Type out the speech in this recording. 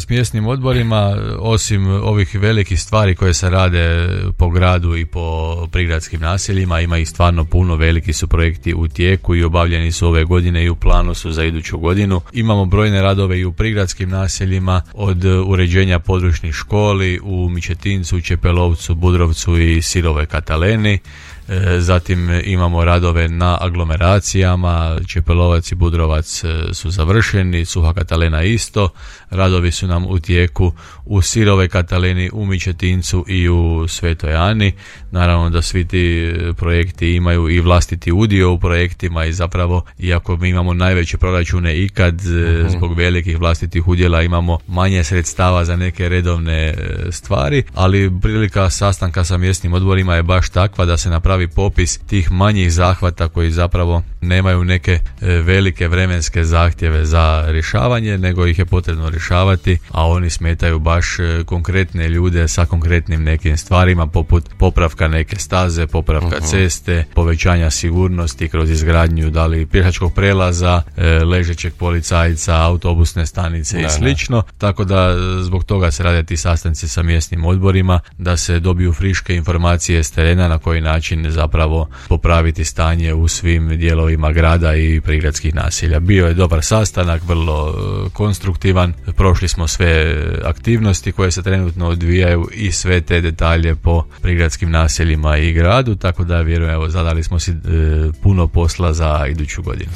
s mjesnim odborima, osim ovih velikih stvari koje se rade po gradu i po prigradskim naseljima, ima ih stvarno puno, veliki su projekti u tijeku i obavljeni su ove godine i u planu su za iduću godinu. Imamo brojne radove i u prigradskim naseljima, od uređenja područnih školi u Mičetincu, Čepelovcu, Budrovcu i Sirovoj Kataleni. Zatim imamo radove na aglomeracijama, Čepelovac i Budrovac su završeni, Suha Katalena isto. Radovi su nam u tijeku u Sirovoj Kataleni, u Mičetincu i u Svetoj Ani. Naravno da svi ti projekti imaju i vlastiti udio u projektima i zapravo, iako mi imamo najveće proračune ikad, zbog velikih vlastitih udjela imamo manje sredstava za neke redovne stvari, ali prilika sastanka sa mjesnim odborima je baš takva da se napravi popis tih manjih zahvata koji zapravo nemaju neke velike vremenske zahtjeve za rješavanje, nego ih je potrebno rješavati, a oni smetaju baš konkretne ljude sa konkretnim nekim stvarima, poput popravka neke staze, popravka ceste, povećanja sigurnosti kroz izgradnju da li pješačkog prelaza, ležećeg policajca, autobusne stanice i slično. Tako da zbog toga se rade ti sastanci sa mjesnim odborima, da se dobiju friške informacije s terena na koji način zapravo popraviti stanje u svim dijelovima grada i prigradskih naselja. Bio je dobar sastanak, vrlo konstruktivan. Prošli smo sve aktivnosti koje se trenutno odvijaju i sve te detalje po prigradskim naseljima i gradu, tako da vjerujem, evo, zadali smo si puno posla za iduću godinu.